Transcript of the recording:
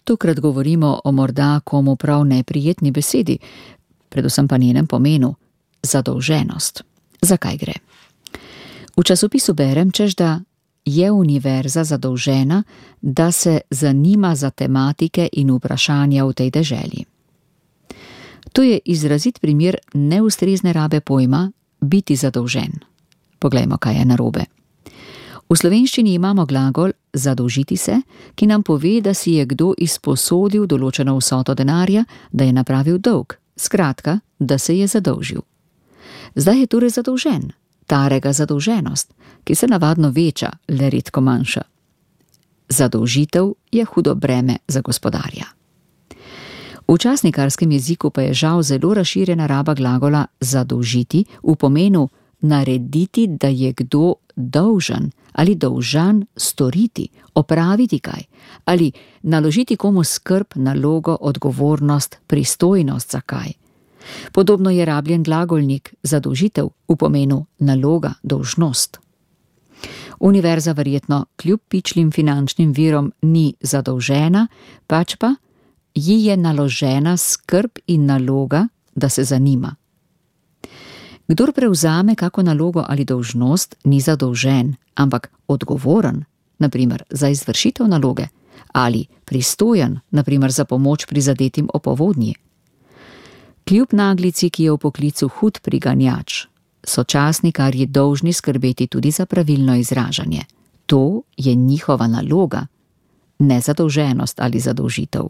Tokrat govorimo o morda komu prav neprijetni besedi, predvsem pa njenem pomenu zadolženost. Zakaj gre? V časopisu berem, češ da je univerza zadolžena, da se zanima za tematike in vprašanja v tej deželi. To je izrazit primer neustrezne rabe pojma biti zadolžen. Poglejmo, kaj je narobe. V slovenščini imamo glagol zadolžiti se, ki nam pove, da si je kdo izposodil določeno vsoto denarja, da je napravil dolg, skratka, da se je zadolžil. Zdaj je torej zadolžen, tarega zadolženost, ki se navadno veča, le redko manjša. Zadolžitev je hudo breme za gospodarja. V časnikarskem jeziku pa je žal zelo razširjena raba glagola zadolžiti v pomenu narediti, da je kdo dolžan ali dolžan storiti, opraviti kaj, ali naložiti komu skrb, nalogo, odgovornost, pristojnost za kaj. Podobno je rabljen glagolnik zadolžitev v pomenu naloga, dolžnost. Univerza verjetno kljub pičlim finančnim virom ni zadolžena, pač pa ji je naložena skrb in naloga, da se zanima. Kdor prevzame kako nalogo ali dolžnost, ni zadolžen, ampak odgovoren, na primer za izvršitev naloge, ali pristojen, na primer za pomoč prizadetim ob povodnji. Kljub naglici, ki je v poklicu hud priganjač, so časnikarji dolžni skrbeti tudi za pravilno izražanje. To je njihova naloga, ne zadolženost ali zadolžitev.